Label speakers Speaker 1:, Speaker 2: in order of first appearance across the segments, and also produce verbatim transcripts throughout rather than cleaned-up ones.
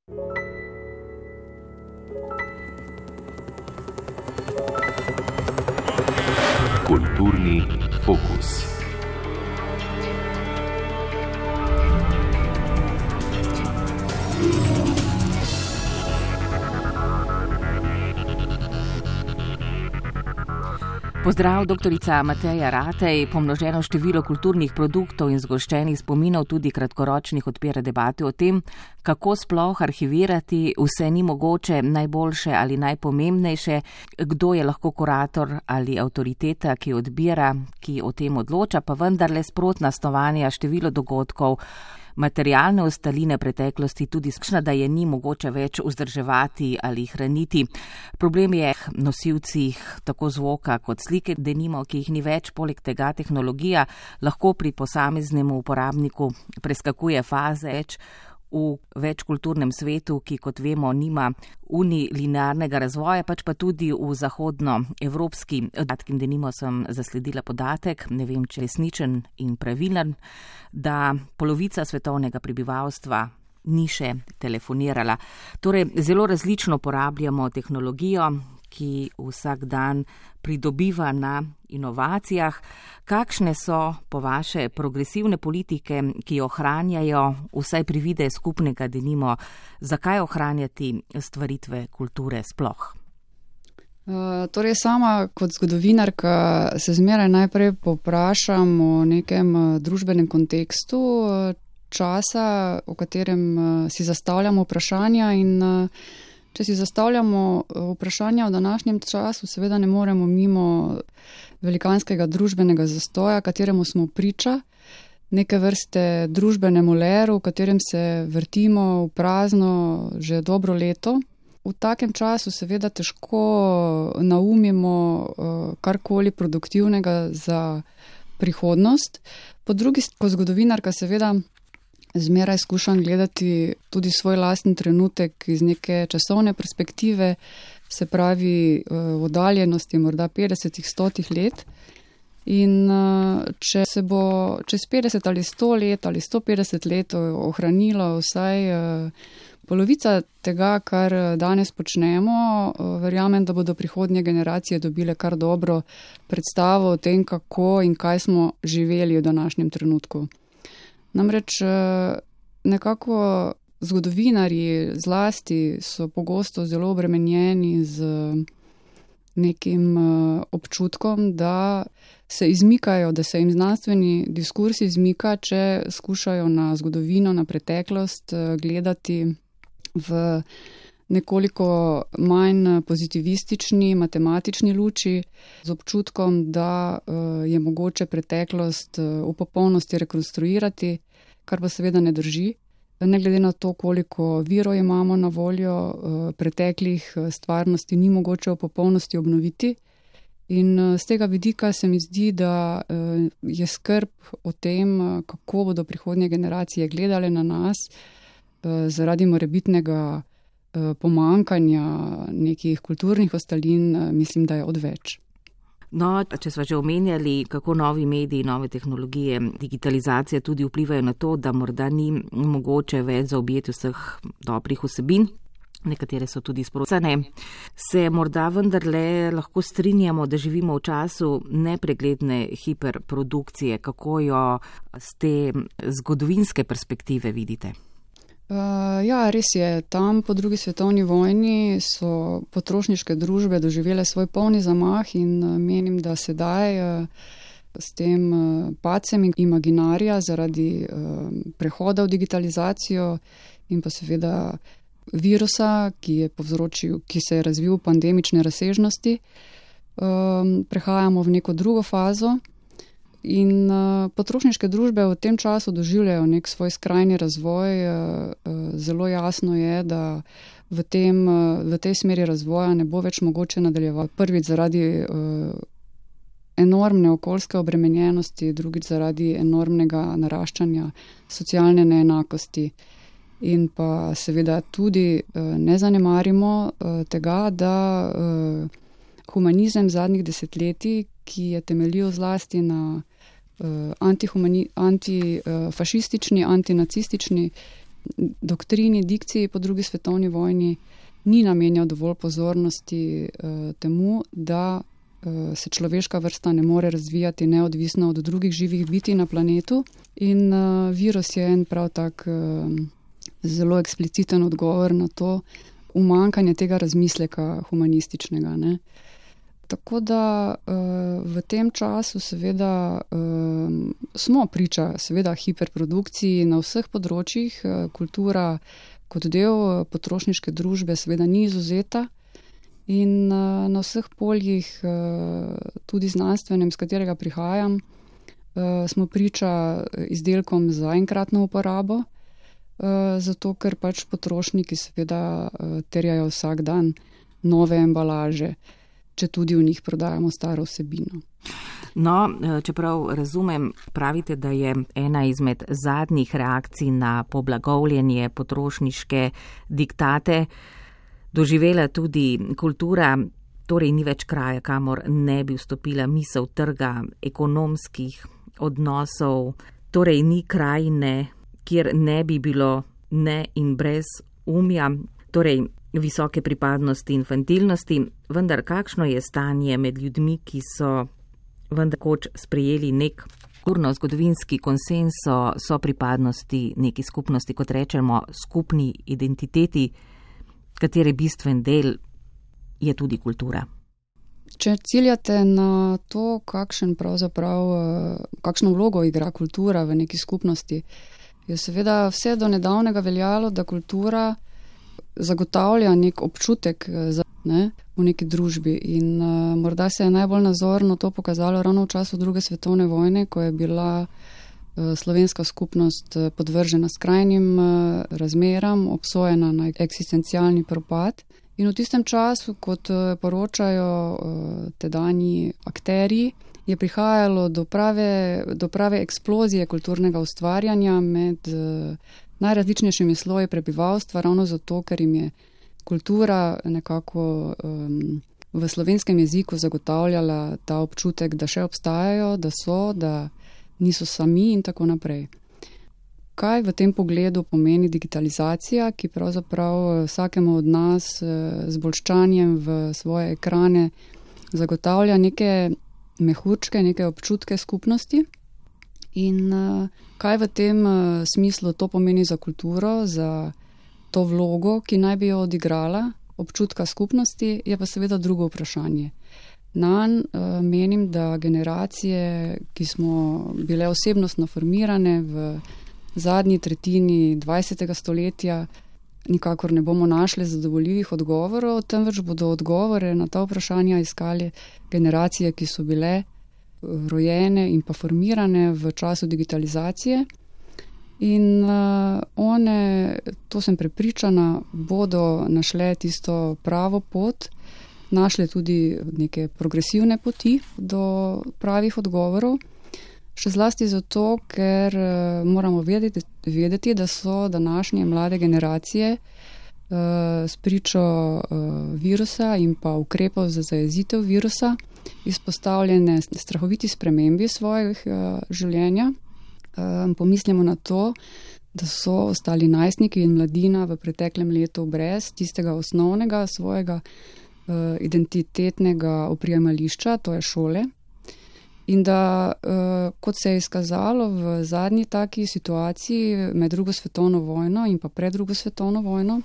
Speaker 1: Kulturni fokus.
Speaker 2: Pozdrav, doktorica Mateja Ratej. Pomnoženo število kulturnih produktov in zgoščenih spominov tudi kratkoročnih odpira debate o tem, kako sploh arhivirati vse ni mogoče, najboljše ali najpomembnejše, kdo je lahko kurator ali avtoriteta, ki odbira, ki o tem odloča, pa vendarle sprotna snovanja, število dogodkov, materialne ostaline preteklosti tudi skšna, da je ni mogoče več vzdrževati ali hraniti. Problem je nosilcih tako zvoka kot slike, denimo, ki jih ni več, poleg tega tehnologija lahko pri posameznemu uporabniku preskakuje faze več v večkulturnem svetu, ki, kot vemo, nima unilinearnega razvoja, pač pa tudi v zahodnoevropski podatki. Denimo sem zasledila podatek, ne vem, če je resničen in pravilen, da polovica svetovnega prebivalstva ni še telefonirala. Torej, zelo različno uporabljamo tehnologijo, ki vsak dan pridobiva na inovacijah. Kakšne so po vaše progresivne politike, ki ohranjajo vsaj privide skupnega, denimo, zakaj ohranjati stvaritve kulture sploh?
Speaker 3: Uh, torej sama kot zgodovinarka se zmeraj najprej povprašam o nekem uh, družbenem kontekstu uh, časa, o katerem uh, si zastavljamo vprašanja in uh, če si zastavljamo vprašanja v današnjem času, seveda ne moremo mimo velikanskega družbenega zastoja, kateremu smo priča, neke vrste družbenemu leru, v katerem se vrtimo v prazno že dobro leto. V takem času seveda težko naumimo karkoli produktivnega za prihodnost. Po drugi strani, kot zgodovinarka seveda zmeraj skušam gledati tudi svoj lasten trenutek iz neke časovne perspektive, se pravi v oddaljenosti morda petdesetih, stotih let. In če se bo čez petdeset ali sto let ali sto petdeset let ohranilo vsaj polovica tega, kar danes počnemo, verjamem, da bodo prihodnje generacije dobile kar dobro predstavo o tem, kako in kaj smo živeli v današnjem trenutku. Namreč nekako zgodovinarji zlasti so pogosto zelo obremenjeni z nekim občutkom, da se izmikajo, da se jim znanstveni diskurs izmika, če skušajo na zgodovino, na preteklost gledati v nekoliko manj pozitivistični, matematični luči, z občutkom, da je mogoče preteklost v popolnosti rekonstruirati, kar pa seveda ne drži. Ne glede na to, koliko virov imamo na voljo, preteklih stvarnosti ni mogoče v popolnosti obnoviti. In z tega vidika se mi zdi, da je skrb o tem, kako bodo prihodnje generacije gledale na nas, zaradi morebitnega pomankanja nekih kulturnih ostalin, mislim, da je odveč.
Speaker 2: No, če smo že omenjali, kako novi mediji, nove tehnologije, digitalizacija tudi vplivajo na to, da morda ni mogoče več zaobjeti vseh dobrih vsebin, nekatere so tudi sprocane, se morda vendarle lahko strinjamo, da živimo v času nepregledne hiperprodukcije. Kako jo z te zgodovinske perspektive vidite?
Speaker 3: Uh, ja, res je. Tam po drugi svetovni vojni so potrošniške družbe doživele svoj polni zamah in uh, menim, da sedaj uh, s tem uh, padcem imaginarija zaradi uh, prehoda v digitalizacijo in pa seveda virusa, ki je povzročil, ki se je razvil v pandemične razsežnosti, um, prehajamo v neko drugo fazo. In uh, potrošniške družbe v tem času doživljajo nek svoj skrajni razvoj. Uh, uh, zelo jasno je, da v, tem, uh, v tej smeri razvoja ne bo več mogoče nadaljevati. Prvič zaradi uh, enormne okoljske obremenjenosti, drugič zaradi enormnega naraščanja socialne neenakosti. In pa seveda tudi uh, ne zanemarimo uh, tega, da uh, humanizem zadnjih desetletij, ki je temeljil zlasti na uh, antifašistični, antinacistični doktrini, dikciji po drugi svetovni vojni ni namenjal dovolj pozornosti uh, temu, da uh, se človeška vrsta ne more razvijati neodvisno od drugih živih bitij na planetu. In uh, virus je en prav tak uh, zelo ekspliciten odgovor na to umankanje tega razmisleka humanističnega, ne. Tako da uh, v tem času seveda uh, smo priča seveda hiperprodukciji na vseh področjih. Uh, kultura kot del potrošniške družbe seveda ni izvzeta in uh, na vseh poljih, uh, tudi znanstvenem, s katerega prihajam, uh, smo priča izdelkom za enkratno uporabo, uh, zato ker pač potrošniki seveda uh, terjajo vsak dan nove embalaže, če tudi v njih prodajamo staro vsebino.
Speaker 2: No, čeprav razumem, pravite, da je ena izmed zadnjih reakcij na poblagovljenje potrošniške diktate doživela tudi kultura, torej ni več kraja, kamor ne bi vstopila misel trga, ekonomskih odnosov, torej ni krajine, kjer ne bi bilo ne in brez umja, torej visoke pripadnosti infantilnosti, vendar kakšno je stanje med ljudmi, ki so vendar koč sprejeli nek kulturno-zgodovinski konsens o so pripadnosti neki skupnosti, kot rečemo, skupni identiteti, katere bistven del je tudi kultura.
Speaker 3: Če ciljate na to, kakšen pravzaprav, kakšno vlogo igra kultura v neki skupnosti, je seveda vse do nedavnega veljalo, da kultura zagotavlja nek občutek za, ne, v neki družbi. In uh, morda se je najbolj nazorno to pokazalo ravno v času druge svetovne vojne, ko je bila uh, slovenska skupnost podvržena skrajnim uh, razmeram, obsojena na eksistencialni propad. In v tistem času, kot uh, poročajo uh, tedanji akterji, je prihajalo do prave, do prave eksplozije kulturnega ustvarjanja med uh, najrazličnejšimi sloji prebivalstva, ravno zato, ker jim je kultura nekako um, v slovenskem jeziku zagotavljala ta občutek, da še obstajajo, da so, da niso sami in tako naprej. Kaj v tem pogledu pomeni digitalizacija, ki pravzaprav vsakemu od nas z bolščanjem v svoje ekrane zagotavlja neke mehurčke, neke občutke skupnosti? In uh, kaj v tem uh, smislu to pomeni za kulturo, za to vlogo, ki naj bi jo odigrala, občutka skupnosti, je pa seveda drugo vprašanje. Nanj uh, menim, da generacije, ki smo bile osebnostno formirane v zadnji tretjini dvajsetega stoletja, nikakor ne bomo našli zadovoljivih odgovorov, temveč bodo odgovore na ta vprašanja iskali generacije, ki so bile rojene in pa formirane v času digitalizacije. In uh, one, to sem prepričana, bodo našle tisto pravo pot, našle tudi neke progresivne poti do pravih odgovorov. Še zlasti zato, ker uh, moramo vedeti, vedeti, da so današnje mlade generacije uh, spričo uh, virusa in pa ukrepov za zajezitev virusa izpostavljene strahoviti spremembi svojih uh, življenja. Um, pomislimo na to, da so ostali najstniki in mladina v preteklem letu brez tistega osnovnega svojega uh, identitetnega oprijemališča, to je šole. In da, uh, kot se je izkazalo v zadnji taki situaciji med drugo svetovno vojno in pa pred drugo svetovno vojno,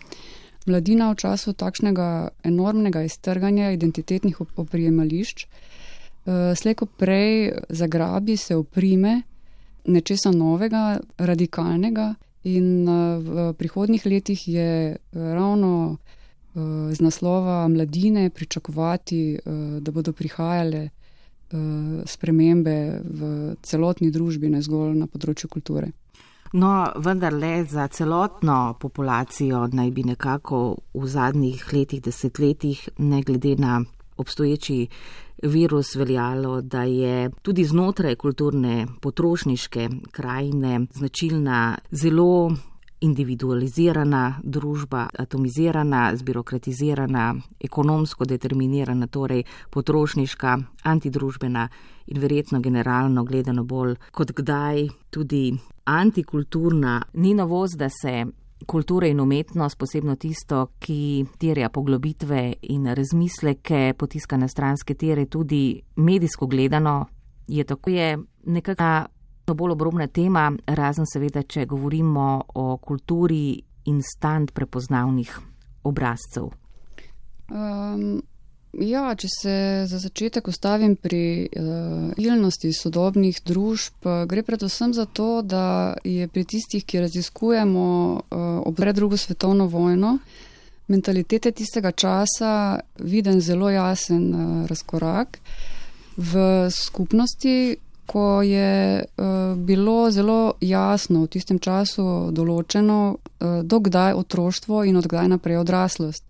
Speaker 3: mladina v času takšnega enormnega iztrganja identitetnih oprijemališč uh, slejko prej zagrabi, se oprime nečesa novega, radikalnega in uh, v prihodnjih letih je ravno uh, z naslova mladine pričakovati, uh, da bodo prihajale spremembe v celotni družbi, ne zgolj na področju kulture.
Speaker 2: No, vendar le za celotno populacijo naj bi nekako v zadnjih letih, desetletjih, ne glede na obstoječi virus veljalo, da je tudi znotraj kulturne potrošniške krajine značilna zelo individualizirana družba, atomizirana, zbirokratizirana, ekonomsko determinirana, torej potrošniška, antidružbena in verjetno generalno gledano bolj kot kdaj tudi antikulturna. Ni novost, da se kulture in umetnost, posebno tisto, ki terja poglobitve in razmisleke, potiska na stranske tire, tudi medijsko gledano, je tako je nekakšna bolj obrobna tema, razen seveda, če govorimo o kulturi instant prepoznavnih obrazcev.
Speaker 3: Um, ja, če se za začetek ustavim pri uh, ilnosti sodobnih družb, gre predvsem za to, da je pri tistih, ki raziskujemo uh, ob pred drugo svetovno vojno, mentalitete tistega časa viden zelo jasen uh, razkorak v skupnosti, ko je uh, bilo zelo jasno v tistem času določeno, uh, dokdaj otroštvo in odkdaj naprej odraslost.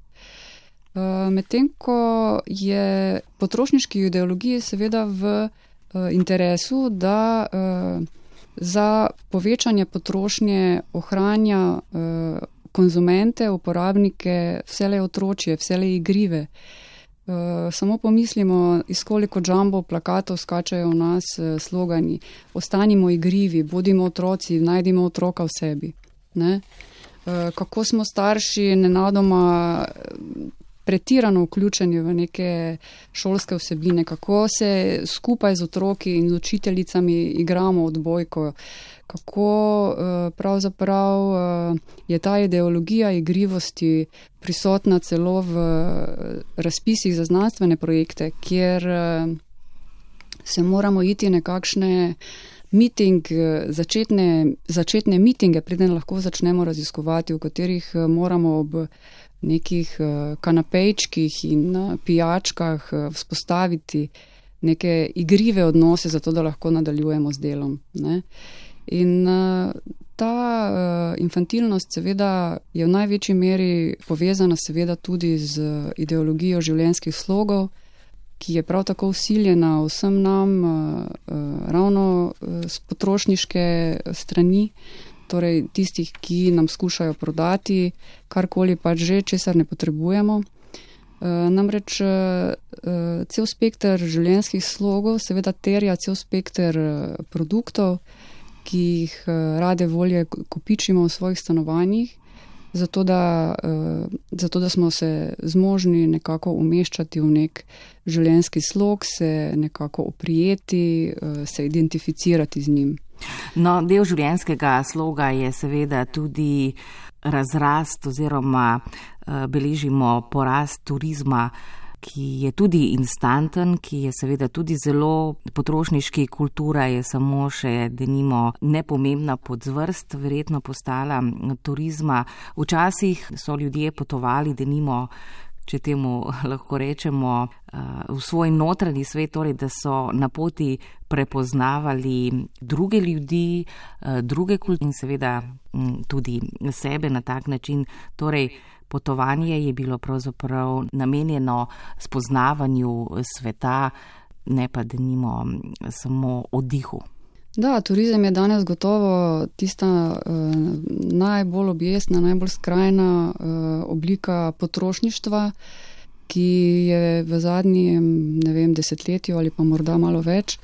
Speaker 3: Uh, Medtem, ko je potrošniški ideologiji seveda v uh, interesu, da uh, za povečanje potrošnje ohranja uh, konzumente, uporabnike, vselej otročje, vselej igrive. Uh, samo pomislimo, iz koliko jumbo plakatov skačajo v nas uh, slogani: ostanimo igrivi, bodimo otroci, najdimo otroka v sebi. Ne? Uh, kako smo starši nenadoma pretirano vključeni v neke šolske vsebine, kako se skupaj z otroki in z učiteljicami igramo odbojko, kako uh, pravzaprav uh, je ta ideologija igrivosti prisotna celo v razpisih za znanstvene projekte, kjer uh, se moramo iti nekakšne meeting, začetne, začetne meetinge, preden lahko začnemo raziskovati, v katerih moramo ob nekih kanapejčkih in pijačkah vzpostaviti neke igrive odnose, zato da lahko nadaljujemo z delom. Ne? In ta infantilnost seveda je v največji meri povezana seveda tudi z ideologijo življenjskih slogov, ki je prav tako vsiljena vsem nam ravno z potrošniške strani, torej tistih, ki nam skušajo prodati karkoli pač že, česar ne potrebujemo. Namreč cel spekter življenjskih slogov seveda terja cel spekter produktov, ki jih rade volje kopičimo v svojih stanovanjih, zato da, zato da smo se zmožni nekako umeščati v nek življenjski slog, se nekako oprijeti, se identificirati z njim.
Speaker 2: No, del življenjskega sloga je seveda tudi razrast oziroma beležimo porast turizma, ki je tudi instanten, ki je seveda tudi zelo potrošniški. Kultura je samo še, denimo, nepomembna podzvrst verjetno postala turizma. Včasih so ljudje potovali, denimo, če temu lahko rečemo, v svoj notranji svet, torej da so na poti prepoznavali druge ljudi, druge kulture in seveda tudi sebe na tak način. Torej, potovanje je bilo pravzaprav namenjeno spoznavanju sveta, ne pa denimo samo oddihu.
Speaker 3: Da, turizem je danes gotovo tista uh, najbolj objestna, najbolj skrajna uh, oblika potrošništva, ki je v zadnjem, ne vem, desetletju ali pa morda malo več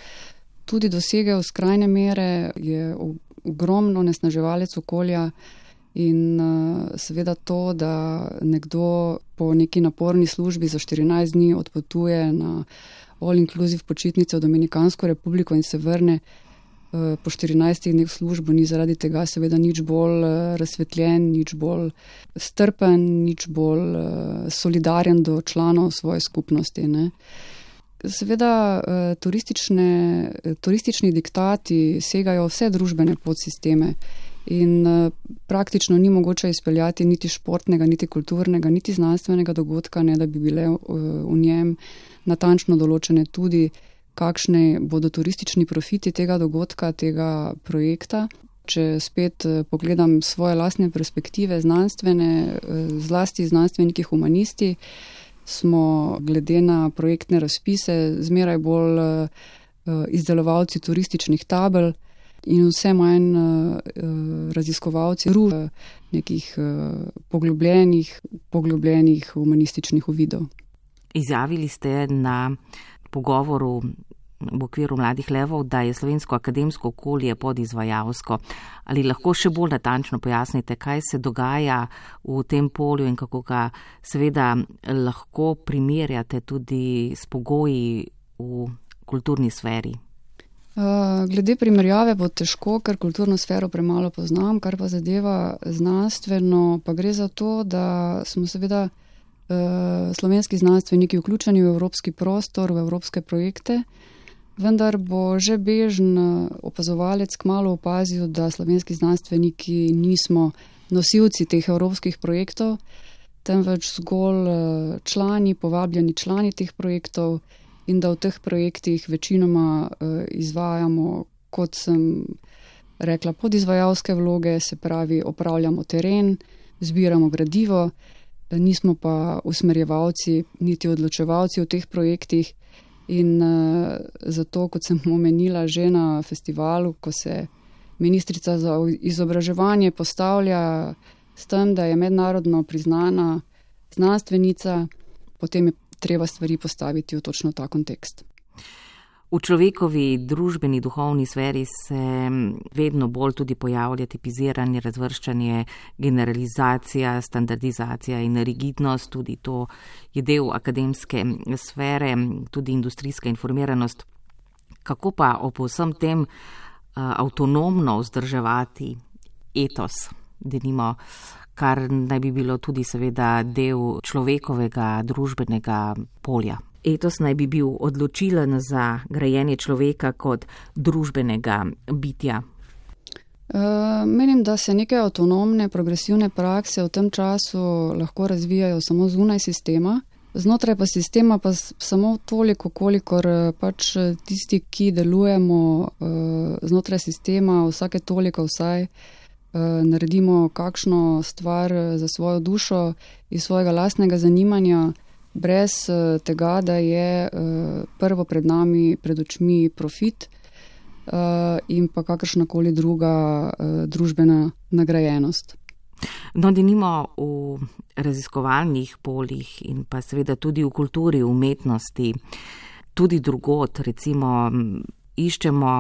Speaker 3: tudi dosegel skrajne mere, je ogromno onesnaževalec okolja in uh, seveda to, da nekdo po neki naporni službi za štirinajst dni odpotuje na all-inclusive počitnice v Dominikansko republiko in se vrne po štirinajstih dneh službo, ni zaradi tega seveda nič bolj razsvetljen, nič bolj strpen, nič bolj solidaren do članov svoje skupnosti. Ne. Seveda turistični diktati segajo vse družbene podsisteme in praktično ni mogoče izpeljati niti športnega, niti kulturnega, niti znanstvenega dogodka, ne da bi bile v njem natančno določene tudi kakšne bodo turistični profiti tega dogodka, tega projekta. Če spet pogledam svoje lastne perspektive znanstvene, zlasti znanstveniki humanisti, smo glede na projektne razpise zmeraj bolj izdelovalci turističnih tabel in vse manj raziskovalci nekih poglobljenih, poglobljenih humanističnih uvidov.
Speaker 2: Izjavili ste na pogovoru v okviru Mladih levov, da je slovensko akademsko okolje podizvajalsko. Ali lahko še bolj natančno pojasnite, kaj se dogaja v tem polju in kako ga seveda lahko primerjate tudi s pogoji v kulturni sferi?
Speaker 3: Glede primerjave bo težko, ker kulturno sfero premalo poznam, kar pa zadeva znanstveno, pa gre za to, da smo seveda slovenski znanstveniki vključeni v evropski prostor, v evropske projekte, vendar bo že bežen opazovalec kmalu opazil, da slovenski znanstveniki nismo nosilci teh evropskih projektov, temveč zgolj člani, povabljeni člani teh projektov, in da v teh projektih večinoma izvajamo, kot sem rekla, podizvajalske vloge, se pravi opravljamo teren, zbiramo gradivo, nismo pa usmerjevalci niti odločevalci v teh projektih in zato, kot sem omenila že na festivalu, ko se ministrica za izobraževanje postavlja s tem, da je mednarodno priznana znanstvenica, potem je treba stvari postaviti v točno ta kontekst.
Speaker 2: V človekovi družbeni duhovni sferi se vedno bolj tudi pojavlja tipiziranje, razvrščanje, generalizacija, standardizacija in rigidnost, tudi to je del akademske sfere, tudi industrijska informiranost. Kako pa ob vsem tem avtonomno vzdrževati etos, denimo, kar naj bi bilo tudi seveda del človekovega družbenega polja? Etos naj bi bil odločilen za grajenje človeka kot družbenega bitja.
Speaker 3: Uh, menim, da se neke avtonomne, progresivne prakse v tem času lahko razvijajo samo zunaj sistema. Znotraj pa sistema pa samo toliko, kolikor pač tisti, ki delujemo uh, znotraj sistema, vsake toliko vsaj uh, naredimo kakšno stvar za svojo dušo iz svojega lastnega zanimanja, brez tega, da je prvo pred nami, pred očmi profit in pa kakršnakoli druga družbena nagrajenost.
Speaker 2: No, denimo v raziskovalnih poljih in pa seveda tudi v kulturi, umetnosti, tudi drugod, recimo, iščemo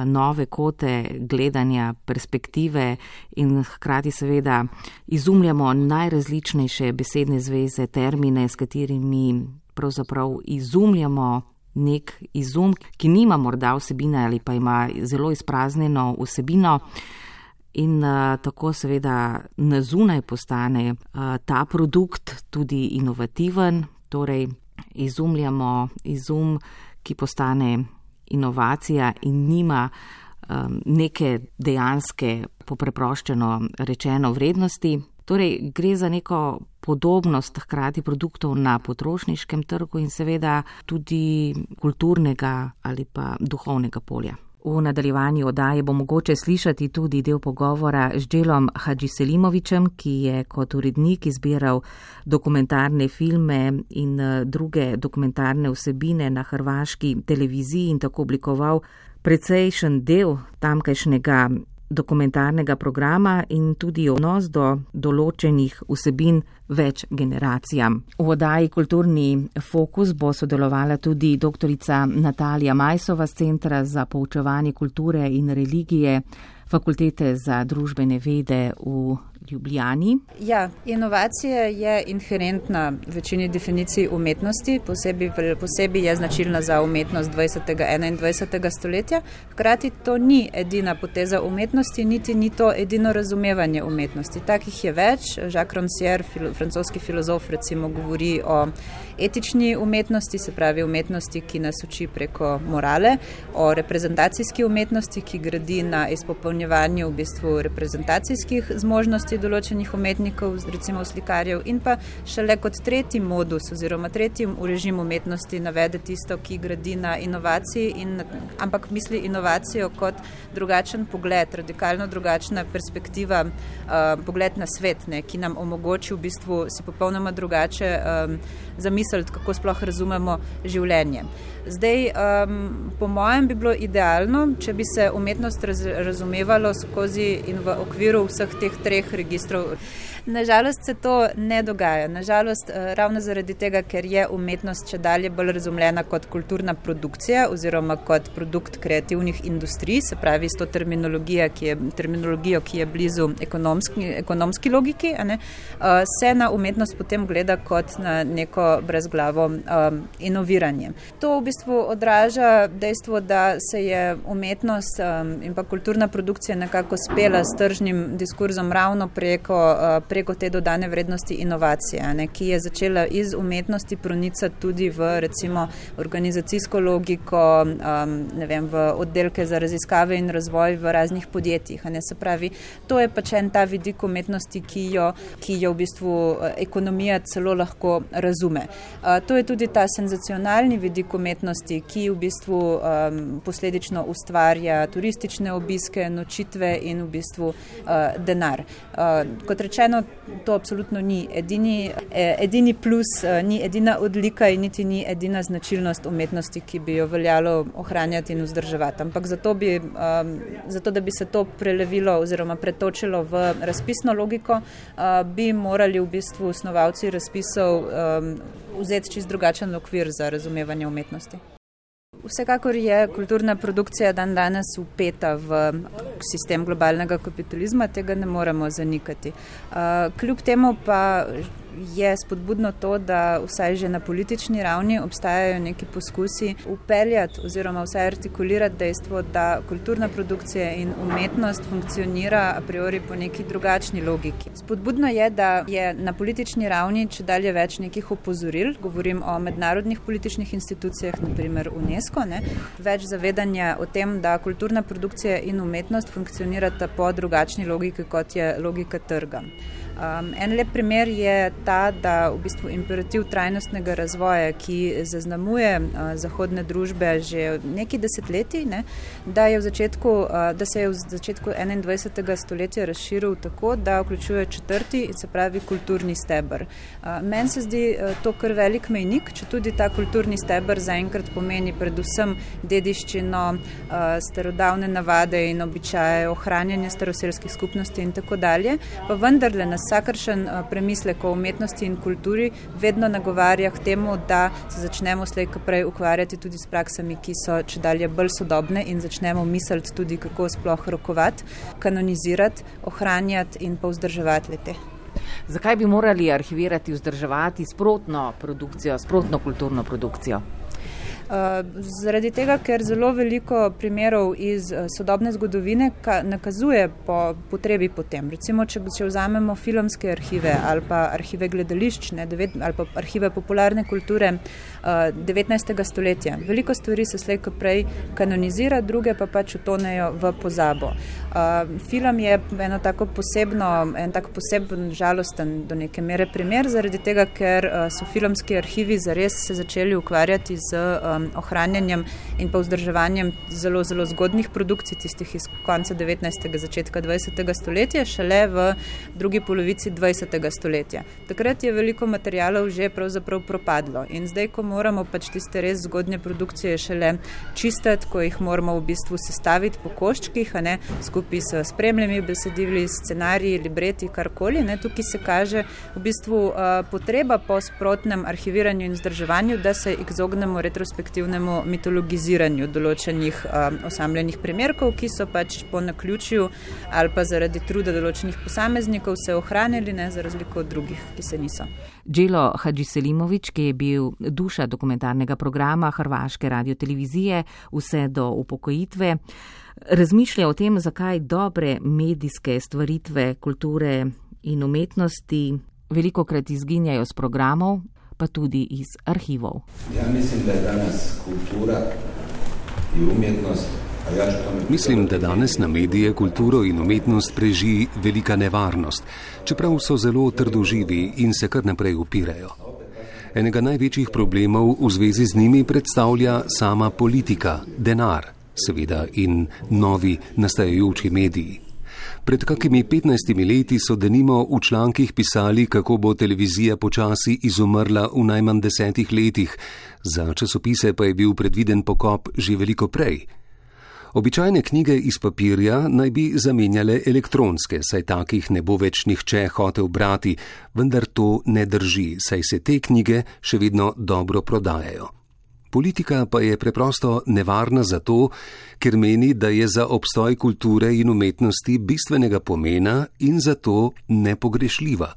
Speaker 2: nove kote gledanja, perspektive in hkrati seveda izumljamo najrazličnejše besedne zveze, termine, s katerimi pravzaprav izumljamo nek izum, ki nima morda vsebine ali pa ima zelo izpraznjeno vsebino in uh, tako seveda na zunaj postane uh, ta produkt tudi inovativen, torej izumljamo izum, ki postane inovacija in nima um, neke dejanske, popreproščeno rečeno, vrednosti. Torej gre za neko podobnost hkrati produktov na potrošniškem trgu in seveda tudi kulturnega ali pa duhovnega polja. V nadaljevanju oddaje bo mogoče slišati tudi del pogovora z Dželom Hadžiselimovićem, ki je kot urednik izbiral dokumentarne filme in druge dokumentarne vsebine na hrvaški televiziji in tako oblikoval precejšen del tamkajšnjega dokumentarnega programa in tudi odnos do določenih vsebin več generacijam. V oddaji Kulturni fokus bo sodelovala tudi doktorica Natalija Majsova z Centra za poučevanje kulture in religije Fakultete za družbene vede v Ljubljani.
Speaker 4: Ja, inovacija je inherentna v večini definicij umetnosti, posebej, posebej je značilna za umetnost dvajsetega in enaindvajsetega stoletja. Hkrati to ni edina poteza umetnosti, niti ni to edino razumevanje umetnosti. Takih je več. Jacques Rancière, filo, francoski filozof, recimo govori o etični umetnosti, se pravi umetnosti, ki nas uči preko morale, o reprezentacijski umetnosti, ki gradi na izpopolnjevanju v bistvu reprezentacijskih zmožnosti določenih umetnikov, recimo slikarjev, in pa šele kot tretji modus oziroma tretji režim umetnosti navede tisto, ki gradi na inovaciji, in, ampak misli inovacijo kot drugačen pogled, radikalno drugačna perspektiva, uh, pogled na svet, ne, ki nam omogoči v bistvu si popolnoma drugače um, zamisliti, kako sploh razumemo življenje. Zdaj, um, po mojem bi bilo idealno, če bi se umetnost raz, razumevalo skozi in v okviru vseh teh treh registrov. Nažalost se to ne dogaja. Nažalost, ravno zaradi tega, ker je umetnost če dalje bolj razumljena kot kulturna produkcija oziroma kot produkt kreativnih industrij, se pravi s to terminologijo, ki je, terminologijo, ki je blizu ekonomski, ekonomski logiki, a ne, se na umetnost potem gleda kot na neko brezglavo um, inoviranje. To v bistvu odraža dejstvo, da se je umetnost um, in pa kulturna produkcija nekako spela s tržnim diskurzom ravno preko, uh, preko te dodane vrednosti inovacije, ne, ki je začela iz umetnosti pronicati tudi v recimo organizacijsko logiko, um, ne vem, v oddelke za raziskave in razvoj v raznih podjetjih. Ne, se pravi, to je pač en ta vidik umetnosti, ki jo, ki jo v bistvu ekonomija celo lahko razume. Uh, to je tudi ta senzacionalni vidik umetnosti, ki v bistvu um, posledično ustvarja turistične obiske, nočitve in v bistvu uh, denar. Uh, kot rečeno, to absolutno ni edini, edini plus, uh, ni edina odlika in niti ni edina značilnost umetnosti, ki bi jo veljalo ohranjati in vzdrževati. Ampak zato, bi, um, zato da bi se to prelevilo oziroma pretočilo v razpisno logiko, uh, bi morali v bistvu snovalci razpisov um, vzeti čist drugačen okvir za razumevanje umetnosti. Vsekakor je kulturna produkcija dan danes vpeta v sistem globalnega kapitalizma, tega ne moremo zanikati. Uh, kljub temu pa je spodbudno to, da vsaj že na politični ravni obstajajo neki poskusi upeljati oziroma vsaj artikulirati dejstvo, da kulturna produkcija in umetnost funkcionira a priori po neki drugačni logiki. Spodbudno je, da je na politični ravni če dalje več nekih opozoril, govorim o mednarodnih političnih institucijah, naprimer UNESCO, ne, več zavedanja o tem, da kulturna produkcija in umetnost funkcionirata po drugačni logiki, kot je logika trga. Um, en lep primer je ta, da v bistvu imperativ trajnostnega razvoja, ki zaznamuje uh, zahodne družbe že neki desetletji, ne, da, je v začetku, uh, da se je v začetku enaindvajsetega stoletja razširil tako, da vključuje četrti, se pravi kulturni steber. Uh, meni se zdi uh, to kar velik mejnik, če tudi ta kulturni steber zaenkrat pomeni predvsem dediščino, uh, starodavne navade in običaje, ohranjanje staroselskih skupnosti in tako dalje, pa vendarle nas vsakršen premislek o umetnosti in kulturi vedno nagovarja k temu, da se začnemo slej ko prej ukvarjati tudi s praksami, ki so čedalje bolj sodobne in začnemo misliti tudi, kako sploh rokovati, kanonizirati, ohranjati in pa vzdrževati le-te.
Speaker 2: Zakaj bi morali arhivirati, vzdrževati sprotno produkcijo, sprotno kulturno produkcijo?
Speaker 4: Uh, zaradi tega, ker zelo veliko primerov iz uh, sodobne zgodovine ka, nakazuje po potrebi potem. Recimo, če, če vzamemo filmske arhive ali pa arhive gledališč, ne, devet, ali pa arhive popularne kulture uh, devetnajstega stoletja. Veliko stvari se slej ko prej kanonizira, druge pa pač utonejo v pozabo. Uh, film je eno tako posebno, en tako poseben žalosten do neke mere primer, zaradi tega, ker uh, so filmski arhivi zares se začeli ukvarjati z um, ohranjanjem in pa vzdrževanjem zelo, zelo zgodnih produkcij, tistih iz konca devetnajstega, začetka dvajsetega stoletja, šele v drugi polovici dvajsetega stoletja. Takrat je veliko materialov že pravzaprav propadlo in zdaj, ko moramo pač tiste res zgodnje produkcije šele čistiti, ko jih moramo v bistvu sestaviti po koščkih, a ne, skupaj s spremljami besedili, scenariji, libreti, karkoli, ne, tukaj se kaže v bistvu uh, potreba po sprotnem arhiviranju in vzdrževanju, da se izognemo retrospektivnemu mitologiziranju določenih um, osamljenih primerkov, ki so pač po naključju ali pa zaradi truda določenih posameznikov se ohranili, ne, za razliko od drugih, ki se niso.
Speaker 2: Đelo Hadžiselimović, ki je bil duša dokumentarnega programa hrvaške radiotelevizije vse do upokojitve, razmišlja o tem, zakaj dobre medijske stvaritve kulture in umetnosti velikokrat izginjajo z programov, pa tudi iz arhivov.
Speaker 5: Ja mislim, da je danes kultura in umetnost, a ja što tome...
Speaker 1: Mislim, da danes na medije, kulturo in umetnost preži velika nevarnost, čeprav so zelo trdoživi in se kar naprej upirajo. Enega največjih problemov v zvezi z njimi predstavlja sama politika, denar, seveda in novi nastajajoči mediji. Pred kakimi petnajstimi leti so denimo v člankih pisali, kako bo televizija počasi izumrla v najmanj desetih letih, za časopise pa je bil predviden pokop že veliko prej. Običajne knjige iz papirja naj bi zamenjale elektronske, saj takih ne bo več nihče hotel brati, vendar to ne drži, saj se te knjige še vedno dobro prodajajo. Politika pa je preprosto nevarna zato, ker meni, da je za obstoj kulture in umetnosti bistvenega pomena in zato nepogrešljiva.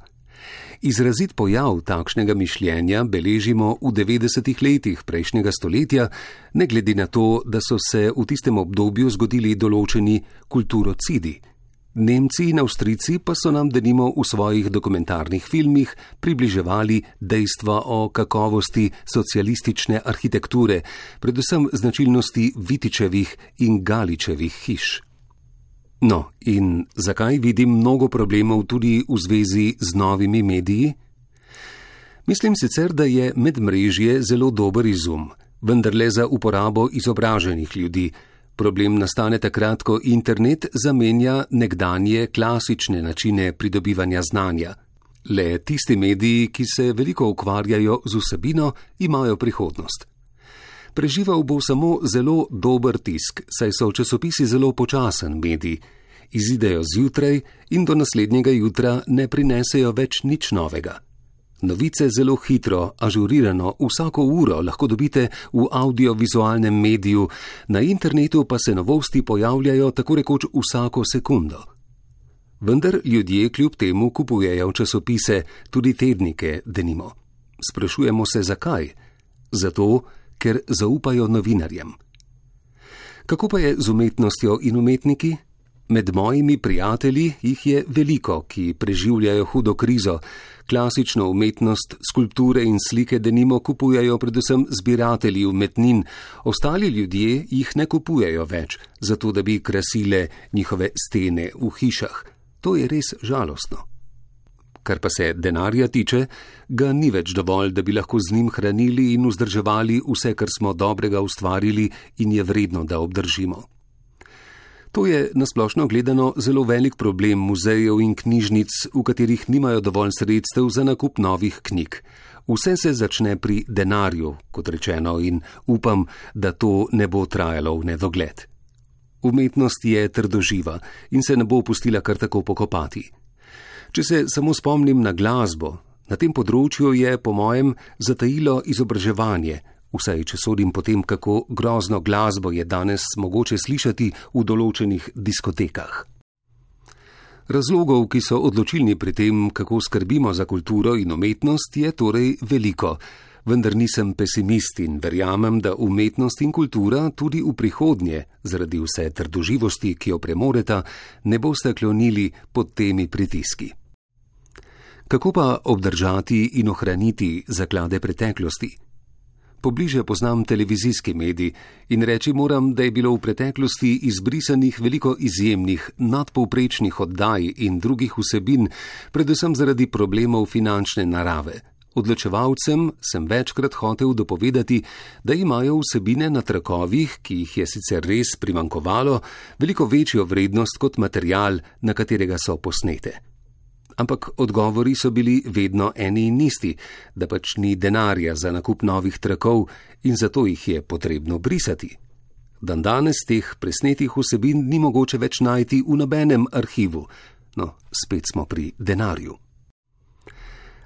Speaker 1: Izrazit pojav takšnega mišljenja beležimo v devetdesetih letih prejšnjega stoletja, ne glede na to, da so se v tistem obdobju zgodili določeni kulturocidi. Nemci in Avstrijci pa so nam denimo v svojih dokumentarnih filmih približevali dejstva o kakovosti socialistične arhitekture, predvsem značilnosti Vitičevih in Galičevih hiš. No, in zakaj vidim mnogo problemov tudi v zvezi z novimi mediji? Mislim sicer, da je medmrežje zelo dober izum, vendar le za uporabo izobraženih ljudi. Problem nastane takrat, ko internet zamenja nekdanje klasične načine pridobivanja znanja. Le tisti mediji, ki se veliko ukvarjajo z vsebino, imajo prihodnost. Preživel bo samo zelo dober tisk, saj so časopisi zelo počasen medij. Izidejo zjutraj in do naslednjega jutra ne prinesejo več nič novega. Novice zelo hitro, ažurirano, vsako uro lahko dobite v audiovizualnem mediju, na internetu pa se novosti pojavljajo tako rekoč vsako sekundo. Vendar ljudje kljub temu kupujejo časopise, tudi tednike, denimo. Sprašujemo se, zakaj? Zato, ker zaupajo novinarjem. Kako pa je z umetnostjo in umetniki? Med mojimi prijatelji jih je veliko, ki preživljajo hudo krizo. Klasično umetnost, skulpture in slike denimo kupujejo predvsem zbiratelji umetnin, ostali ljudje jih ne kupujejo več, zato da bi krasile njihove stene v hišah. To je res žalostno. Kar pa se denarja tiče, ga ni več dovolj, da bi lahko z njim hranili in vzdrževali vse, kar smo dobrega ustvarili in je vredno, da obdržimo. To je nasplošno gledano zelo velik problem muzejev in knjižnic, v katerih nimajo dovolj sredstev za nakup novih knjig. Vse se začne pri denarju, kot rečeno, in upam, da to ne bo trajalo v nedogled. Umetnost je trdoživa in se ne bo pustila kar tako pokopati. Če se samo spomnim na glasbo, na tem področju je, po mojem, zatajilo izobraževanje, vsaj če sodim po tem, kako grozno glasbo je danes mogoče slišati v določenih diskotekah. Razlogov, ki so odločilni pri tem, kako skrbimo za kulturo in umetnost, je torej veliko, vendar nisem pesimist in verjamem, da umetnost in kultura tudi v prihodnje, zaradi vse trdoživosti, ki jo premoreta, ne boste klonili pod temi pritiski. Kako pa obdržati in ohraniti zaklade preteklosti? Pobliže poznam televizijski medij in reči moram, da je bilo v preteklosti izbrisanih veliko izjemnih, nadpovprečnih oddaj in drugih vsebin, predvsem zaradi problemov finančne narave. Odločevalcem sem večkrat hotel dopovedati, da imajo vsebine na trakovih, ki jih je sicer res primankovalo, veliko večjo vrednost kot material, na katerega so posnete. Ampak odgovori so bili vedno eni in isti, da pač ni denarja za nakup novih trakov in zato jih je potrebno brisati. Dandanes teh presnetih vsebin ni mogoče več najti v nobenem arhivu. No, spet smo pri denarju.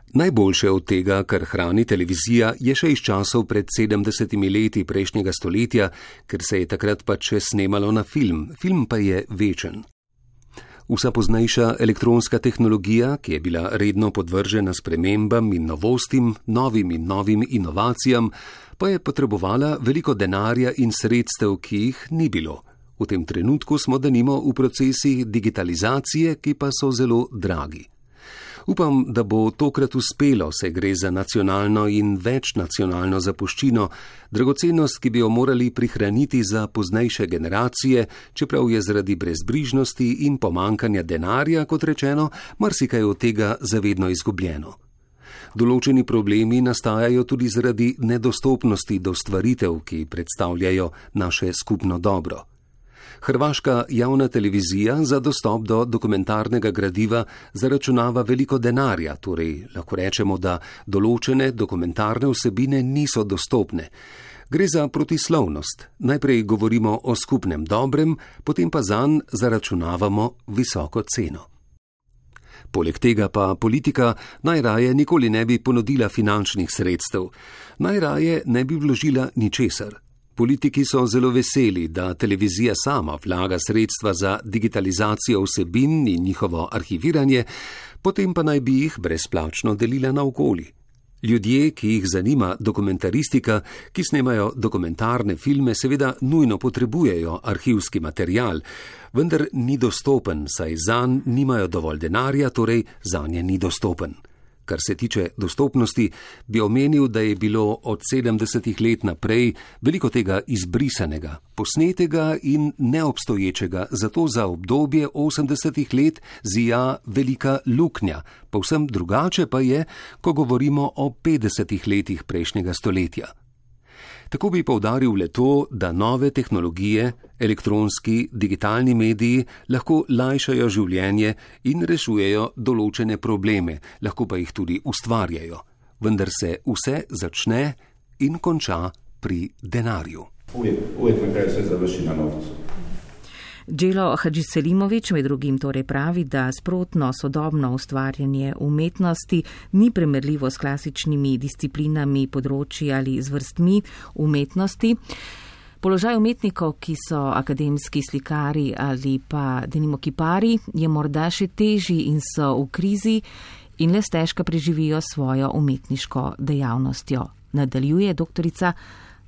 Speaker 1: Najboljše od tega, kar hrani televizija, je še iz časov pred sedemdesetimi leti prejšnjega stoletja, ker se je takrat pač še snemalo na film. Film pa je večen. Vsa poznejša elektronska tehnologija, ki je bila redno podvržena spremembam in novostim, novim in novim inovacijam, pa je potrebovala veliko denarja in sredstev, ki jih ni bilo. V tem trenutku smo denimo v procesih digitalizacije, ki pa so zelo dragi. Upam, da bo tokrat uspelo, saj gre za nacionalno in večnacionalno zapuščino, dragocenost, ki bi jo morali prihraniti za poznejše generacije, čeprav je zaradi brezbrižnosti in pomankanja denarja, kot rečeno, marsikaj od tega zavedno izgubljeno. Določeni problemi nastajajo tudi zaradi nedostopnosti do stvaritev, ki predstavljajo naše skupno dobro. Hrvaška javna televizija za dostop do dokumentarnega gradiva zaračunava veliko denarja, torej lahko rečemo, da določene dokumentarne vsebine niso dostopne. Gre za protislovnost. Najprej govorimo o skupnem dobrem, potem pa zanj zaračunavamo visoko ceno. Poleg tega pa politika najraje nikoli ne bi ponudila finančnih sredstev, najraje ne bi vložila ničesar. Politiki so zelo veseli, da televizija sama vlaga sredstva za digitalizacijo vsebin in njihovo arhiviranje, potem pa naj bi jih brezplačno delila naokoli. Ljudje, ki jih zanima dokumentaristika, ki snemajo dokumentarne filme, seveda nujno potrebujejo arhivski material, vendar ni dostopen, saj zanj nimajo dovolj denarja, torej zanje ni dostopen. Kar se tiče dostopnosti, bi omenil, da je bilo od sedemdesetih let naprej veliko tega izbrisanega, posnetega in neobstoječega, zato za obdobje osemdesetih let zija velika luknja, povsem drugače pa je, ko govorimo o petdesetih letih prejšnjega stoletja. Tako bi poudaril le to, da nove tehnologije, elektronski, digitalni mediji lahko lajšajo življenje in rešujejo določene probleme, lahko pa jih tudi ustvarjajo. Vendar se vse začne in konča pri denarju.
Speaker 5: Uvijek, uvijek na kraju sve završi na novcu.
Speaker 2: Đelo Hadžiselimović med drugim torej pravi, da sprotno sodobno ustvarjanje umetnosti ni primerljivo s klasičnimi disciplinami področji ali z vrstmi umetnosti. Položaj umetnikov, ki so akademski slikari ali pa denimo kipari, je morda še težji in so v krizi in le stežka preživijo svojo umetniško dejavnostjo. Nadaljuje doktorica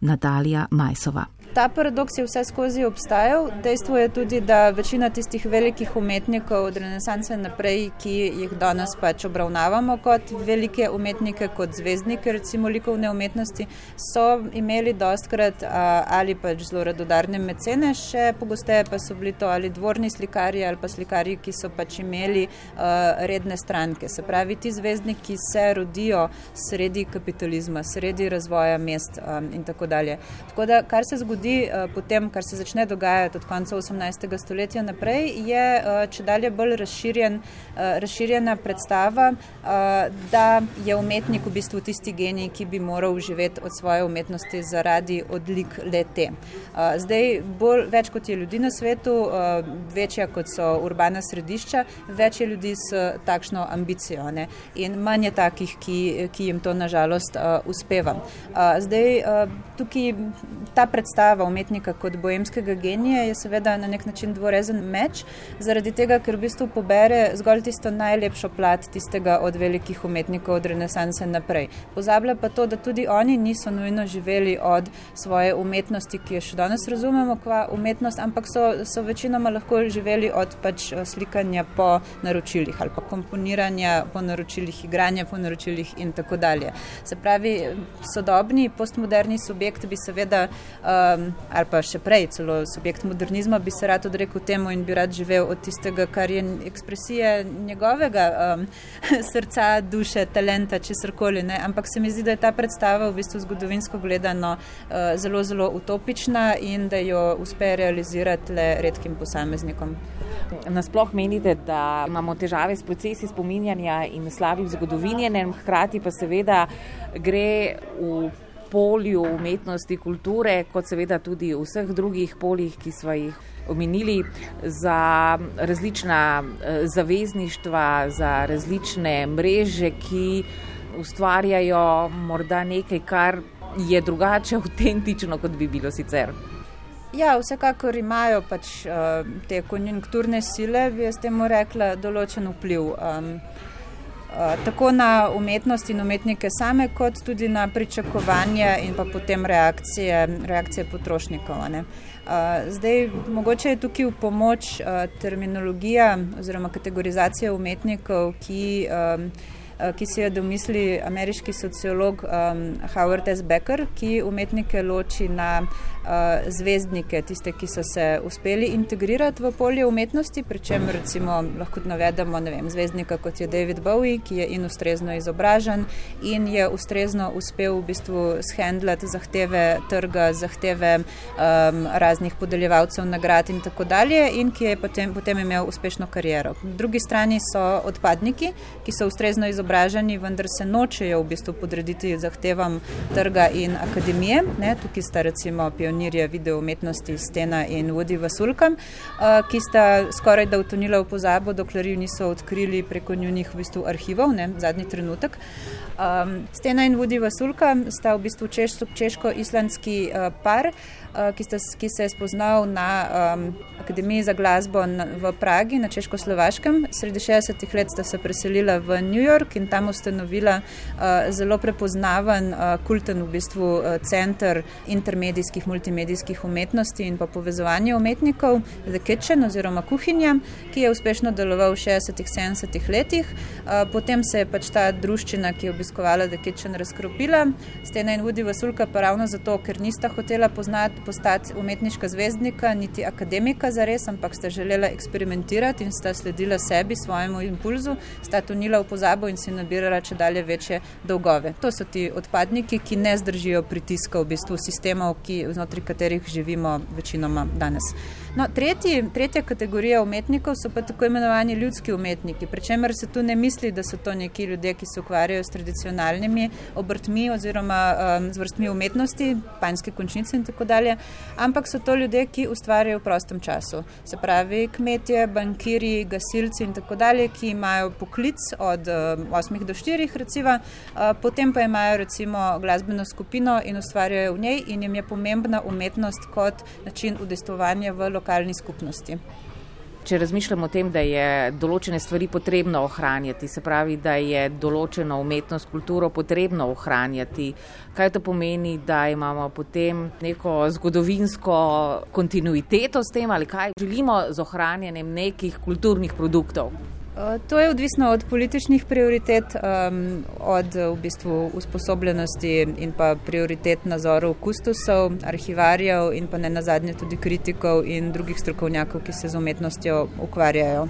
Speaker 2: Natalija Majsova.
Speaker 4: Ta paradoks je vse skozi obstajal. Dejstvo je tudi, da večina tistih velikih umetnikov od renesanse naprej, ki jih danes pač obravnavamo kot velike umetnike, kot zvezdnike, recimo likovne umetnosti, so imeli dostkrat ali pač zelo radodarne mecene, še pogosteje pa so bili to ali dvorni slikarji ali pa slikarji, ki so pač imeli uh, redne stranke. Se pravi, ti zvezdniki se rodijo sredi kapitalizma, sredi razvoja mest um, in tako dalje. Tako da, kar se zgodi potem, kar se začne dogajati od konca osemnajstega stoletja naprej, je čedalje bolj razširjen, razširjena predstava, da je umetnik v bistvu tisti genij, ki bi moral živeti od svoje umetnosti zaradi odlik le-te. Zdaj, bolj, več kot je ljudi na svetu, večja kot so urbana središča, več je ljudi s takšno ambicijo, ne? In manj je takih, ki, ki jim to nažalost uspeva. Zdaj, tukaj ta predstava umetnika kot boemskega genija je seveda na nek način dvorezen meč, zaradi tega, ker v bistvu pobere zgolj tisto najlepšo plat tistega od velikih umetnikov od renesanse naprej. Pozablja pa to, da tudi oni niso nujno živeli od svoje umetnosti, ki jo še danes razumemo kva umetnost, ampak so, so večinoma lahko živeli od pač slikanja po naročilih ali pa komponiranja po naročilih, igranja po naročilih in tako dalje. Se pravi, sodobni, postmoderni subjekt bi seveda um, ali pa še prej, celo subjekt modernizma bi se rad odrekel temu in bi rad živel od tistega, kar je ekspresija njegovega um, srca, duše, talenta, česarkoli, ne. Ampak se mi zdi, da je ta predstava v bistvu zgodovinsko gledano uh, zelo, zelo utopična in da jo uspe realizirati le redkim posameznikom.
Speaker 2: Nasploh menite, da imamo težave s procesi spominjanja in slabim zgodovinjenjem, hkrati pa seveda gre v polju umetnosti, kulture, kot seveda tudi v vseh drugih poljih, ki smo jih omenili, za različna zavezništva, za različne mreže, ki ustvarjajo morda nekaj, kar je drugače avtentično, kot bi bilo sicer.
Speaker 4: Ja, vsekakor imajo pač uh, te konjunkturne sile, bi jaz temu rekla, določen vpliv. Um, Uh, tako na umetnost in umetnike same, kot tudi na pričakovanja in pa potem reakcije, reakcije potrošnikov. Ne? Uh, zdaj, mogoče je tukaj v pomoč uh, terminologija oziroma kategorizacija umetnikov, ki, um, uh, ki si jo domisli ameriški sociolog um, Howard S. Becker, ki umetnike loči na uh, zvezdnike, tiste, ki so se uspeli integrirati v polje umetnosti, pri čem recimo lahko navedemo, ne vem, zvezdnika kot je David Bowie, ki je in ustrezno izobražen in je ustrezno uspel v bistvu shendlati zahteve trga, zahteve um, raznih podeljevalcev nagrad in tako dalje in ki je potem, potem imel uspešno kariero. Po drugi strani so odpadniki, ki so ustrezno izobraženi izobraženi, vendar se nočejo v bistvu podrediti zahtevam trga in akademije. Ne? Tukaj sta recimo pionirje video umetnosti Stena in Woody Vasulka, ki sta skoraj da utonila v pozabo, dokler ju niso odkrili preko njunih v bistvu arhivov, ne? Zadnji trenutek. Um, Stena in Woody Vasulka sta v bistvu češ, češko-islandski uh, par, uh, ki, sta, ki se je spoznal na um, Akademiji za glasbo na, v Pragi, na Češko-Slovaškem. Sredi šestdesetih let sta se preselila v New York in tam ustanovila uh, zelo prepoznaven, uh, kulten v bistvu uh, center intermedijskih, multimedijskih umetnosti in pa povezovanje umetnikov, The Kitchen oziroma Kuhinja, ki je uspešno deloval v šestdesetih, sedemdesetih letih. Uh, potem se je pač ta druščina, ki je obiskovala The Kitchen, razkropila. Stena in Woody Vasulka pa ravno zato, ker nista hotela poznati, postati umetniška zvezdnika, niti akademika zares, ampak sta želela eksperimentirati in sta sledila sebi, svojemu impulzu, sta tonila v pozabo in si nabirala če dalje večje dolgove. To so ti odpadniki, ki ne zdržijo pritiska v bistvu sistemov, ki, znotraj katerih živimo večinoma danes. No, tretji, tretja kategorija umetnikov so pa tako imenovani ljudski umetniki, pri čemer se tu ne misli, da so to neki ljudje, ki se ukvarjajo s tradicionalnimi obrtmi oziroma um, z vrstmi umetnosti, panjske končnice in tako dalje, ampak so to ljudje, ki ustvarjajo v prostem času. Se pravi, kmetje, bankiri, gasilci in tako dalje, ki imajo poklic od um, osmih do štirih recimo, uh, potem pa imajo recimo glasbeno skupino in ustvarjajo v njej in jim je pomembna umetnost kot način udejstvovanja v lokalni skupnosti.
Speaker 2: Če razmišljamo o tem, da je določene stvari potrebno ohranjati, se pravi, da je določeno umetnost, kulturo potrebno ohranjati, kaj to pomeni, da imamo potem neko zgodovinsko kontinuiteto s tem ali kaj želimo z ohranjanjem nekih kulturnih produktov?
Speaker 4: To je odvisno od političnih prioritet, um, od v bistvu usposobljenosti in pa prioritet nazorov kustusov, arhivarjev in pa ne nazadnje tudi kritikov in drugih strokovnjakov, ki se z umetnostjo ukvarjajo.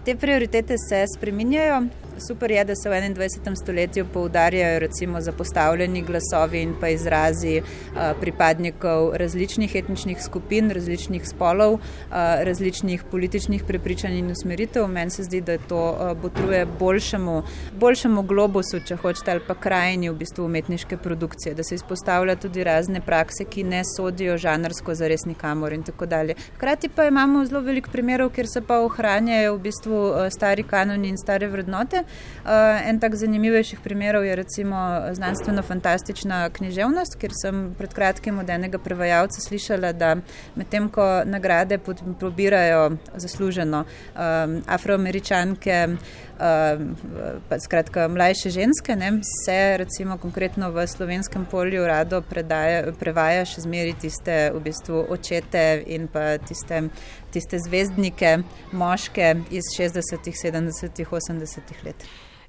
Speaker 4: Te prioritete se spreminjajo. Super je, da se v enaindvajsetem stoletju poudarjajo recimo zapostavljeni glasovi in pa izrazi a, pripadnikov različnih etničnih skupin, različnih spolov, a, različnih političnih prepričanj in usmeritev. Meni se zdi, da to a, botruje boljšemu, boljšemu globusu, če hočete, ali pa krajini v bistvu umetniške produkcije, da se izpostavlja tudi razne prakse, ki ne sodijo žanrsko zares nikamor in tako dalje. Hkrati pa imamo zelo veliko primerov, kjer se pa ohranjajo v bistvu a, stari kanoni in stare vrednote. Uh, en tak zanimivejših primerov je recimo znanstveno-fantastična književnost, kjer sem pred kratkim od enega prevajalca slišala, da medtem ko nagrade probirajo zasluženo um, afroameričanke, um, pa skratka mlajše ženske, ne, se recimo konkretno v slovenskem polju rado predaja, prevaja še zmeri tiste v bistvu očete in pa tiste tiste zvezdnike, moške iz šestdesetih, sedemdesetih, osemdesetih let.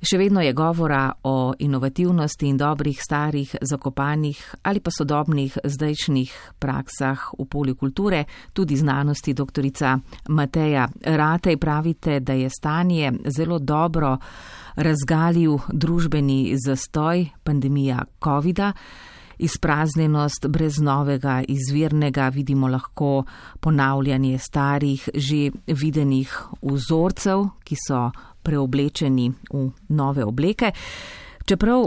Speaker 2: Še vedno je govora o inovativnosti in dobrih, starih, zakopanih ali pa sodobnih zdajšnjih praksah v polju kulture, tudi znanosti. Doktorica Mateja Ratej, pravite, da je stanje zelo dobro razgalil družbeni zastoj, pandemija covida. Izpraznjenost brez novega, izvirnega, vidimo lahko ponavljanje starih, že videnih vzorcev, ki so preoblečeni v nove obleke. Čeprav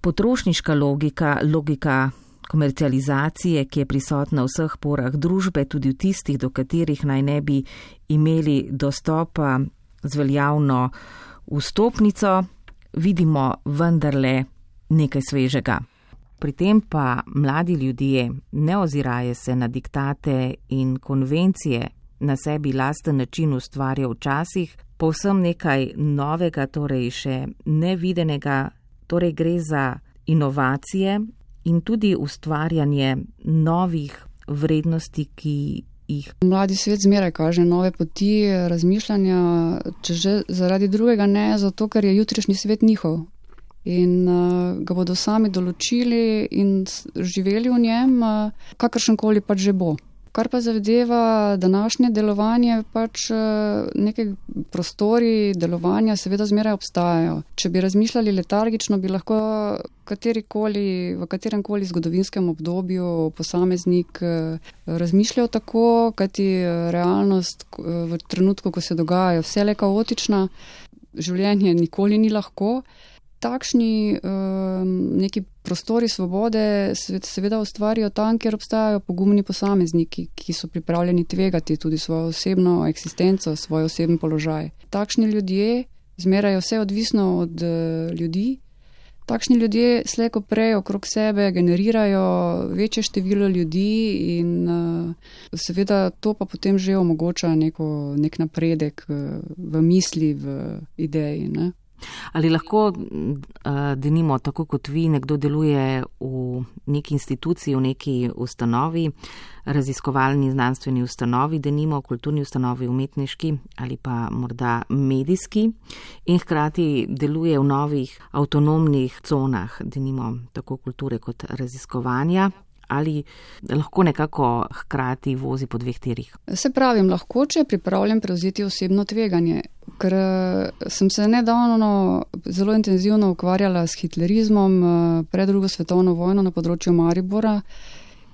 Speaker 2: potrošniška logika, logika komercializacije, ki je prisotna v vseh porah družbe, tudi v tistih, do katerih naj ne bi imeli dostopa z veljavno vstopnico, vidimo vendarle nekaj svežega. Pri tem pa mladi ljudje ne ozirajo se na diktate in konvencije, na sebi lasten način ustvarja včasih, povsem nekaj novega, torej še nevidenega, torej gre za inovacije in tudi ustvarjanje novih vrednosti, ki jih.
Speaker 3: Mladi svet zmeraj kaže nove poti razmišljanja, če že zaradi drugega ne, zato ker je jutrišnji svet njihov. In uh, ga bodo sami določili in živeli v njem, uh, kakršenkoli pač že bo. Kar pa zadeva današnje delovanje, pač uh, neke prostori delovanja seveda zmeraj obstajajo. Če bi razmišljali letargično, bi lahko katerikoli, v kateremkoli zgodovinskem obdobju posameznik uh, razmišljal tako, kajti realnost uh, v trenutku, ko se dogajajo, vse le kaotična. življenje nikoli ni lahko. Takšni neki prostori svobode seveda ustvarjajo tam, kjer obstajajo pogumni posamezniki, ki so pripravljeni tvegati tudi svojo osebno eksistenco, svoj osebni položaj. Takšni ljudje, zmeraj vse odvisno od ljudi, takšni ljudje slej ko prej okrog sebe generirajo večje število ljudi in seveda to pa potem že omogoča neko, nek napredek v misli, v ideji, ne.
Speaker 2: Ali lahko, denimo, tako kot vi, nekdo deluje v neki instituciji, v neki ustanovi, raziskovalni znanstveni ustanovi, denimo, kulturni ustanovi, umetniški ali pa morda medijski in hkrati deluje v novih avtonomnih conah, denimo, tako kulture kot raziskovanja, ali lahko nekako hkrati vozi po dveh tirih?
Speaker 3: Se pravim, lahko, če je pripravljen prevzeti osebno tveganje, ker sem se nedavno zelo intenzivno ukvarjala s hitlerizmom pred drugo svetovno vojno na področju Maribora,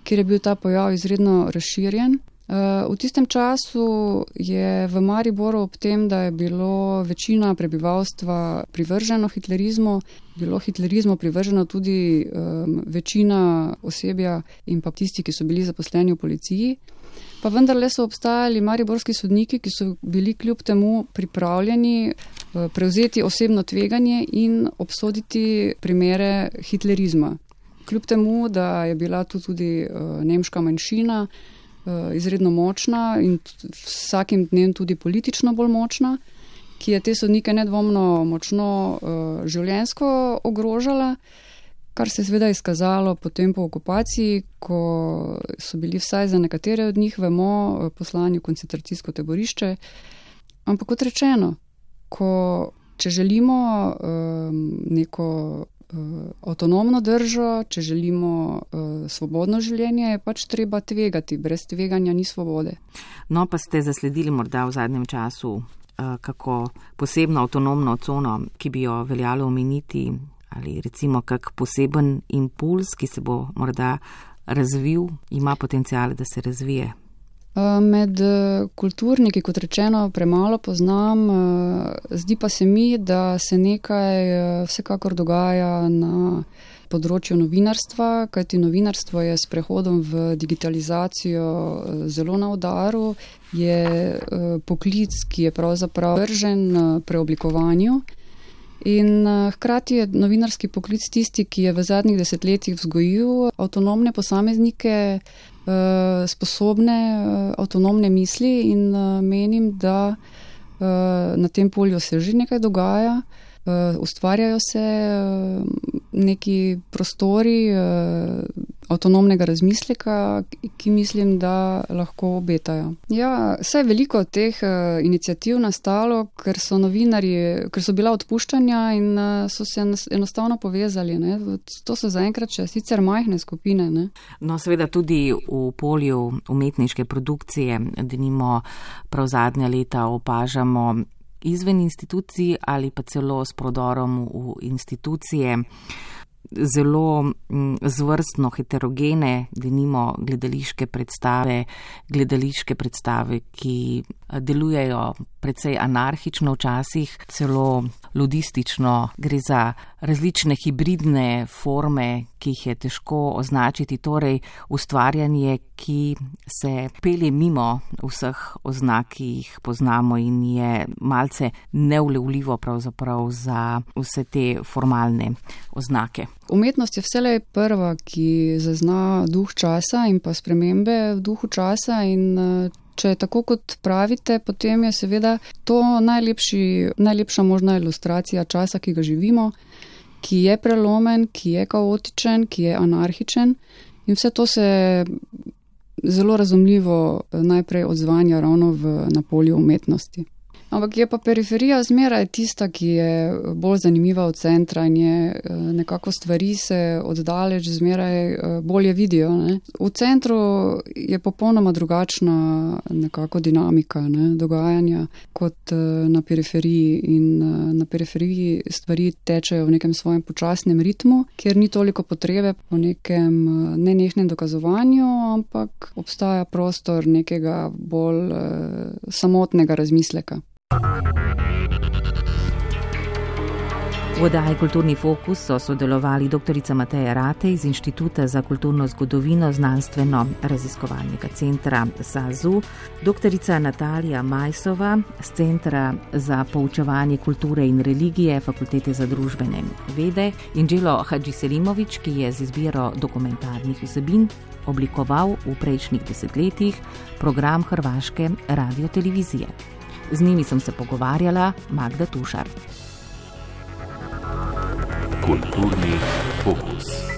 Speaker 3: kjer je bil ta pojav izredno razširjen. V tistem času je v Mariboru ob tem, da je bilo večina prebivalstva privrženo hitlerizmu, bilo hitlerizmu privrženo tudi um, večina osebja in pa tisti, ki so bili zaposleni v policiji. Pa vendarle so obstajali mariborski sodniki, ki so bili kljub temu pripravljeni uh, prevzeti osebno tveganje in obsoditi primere hitlerizma. Kljub temu, da je bila tu tudi uh, nemška manjšina, izredno močna in vsakim dnem tudi politično bolj močna, ki je te sodnike nedvomno močno uh, življenjsko ogrožala, kar se je seveda izkazalo potem po okupaciji, ko so bili vsaj za nekatere od njih, vemo, poslani v koncentracijsko taborišče. Ampak kot rečeno, ko, če želimo um, neko avtonomno držo, če želimo uh, svobodno življenje, je pač treba tvegati. Brez tveganja ni svobode.
Speaker 2: No, pa ste zasledili morda v zadnjem času uh, kako posebno avtonomno cono, ki bi jo veljalo omeniti, ali recimo kak poseben impuls, ki se bo morda razvil, ima potencial, da se razvije?
Speaker 3: Med kulturniki, kot rečeno, premalo poznam, zdi pa se mi, da se nekaj vsekakor dogaja na področju novinarstva, kajti novinarstvo je s prehodom v digitalizacijo zelo na udaru, je poklic, ki je pravzaprav vržen preoblikovanju. In hkrati je novinarski poklic tisti, ki je v zadnjih desetletjih vzgojil avtonomne posameznike, sposobne avtonomne misli in menim, da na tem polju se že nekaj dogaja. Ustvarjajo se neki prostori avtonomnega razmisleka, ki mislim, da lahko obetajo. Ja, saj veliko teh iniciativ nastalo, ker so novinarji, ker so bila odpuščanja in so se enostavno povezali. Ne? To so zaenkrat še sicer majhne skupine. Ne?
Speaker 2: No, seveda tudi v polju umetniške produkcije, denimo prav zadnja leta opažamo izven institucij ali pa celo s prodorom v institucije zelo zvrstno heterogene, denimo gledališke predstave, gledališke predstave, ki delujejo precej anarhično včasih, celo ludistično. Gre za različne hibridne forme, ki jih je težko označiti, torej ustvarjanje, ki se pelje mimo vseh oznak, ki jih poznamo in je malce neulevljivo pravzaprav za vse te formalne oznake.
Speaker 3: Umetnost je vselej prva, ki zazna duh časa in pa spremembe v duhu časa in če je tako, kot pravite, potem je seveda to najlepši, najlepša možna ilustracija časa, ki ga živimo, ki je prelomen, ki je kaotičen, ki je anarhičen in vse to se zelo razumljivo najprej odzvanja ravno v, na polju umetnosti. Ampak je pa periferija zmeraj tista, ki je bolj zanimiva od centra in je nekako stvari se oddaleč zmeraj bolje vidijo. Ne? V centru je popolnoma drugačna nekako dinamika, ne, dogajanja kot na periferiji in na periferiji stvari tečejo v nekem svojem počasnem ritmu, kjer ni toliko potrebe po nekem nenehnem dokazovanju, ampak obstaja prostor nekega bolj samotnega razmisleka.
Speaker 2: V oddaji Kulturni fokus so sodelovali doktorica Mateja Ratej iz Inštituta za kulturno zgodovino Znanstveno-raziskovalnega centra SAZU, doktorica Natalija Majsova z Centra za poučevanje kulture in religije Fakultete za družbene vede in Đelo Hadžiselimović, ki je z izbiro dokumentarnih vsebin oblikoval v prejšnjih desetletjih program hrvaške radiotelevizije. Z njimi sem se pogovarjala Magda Tušar.
Speaker 6: Kulturni fokus.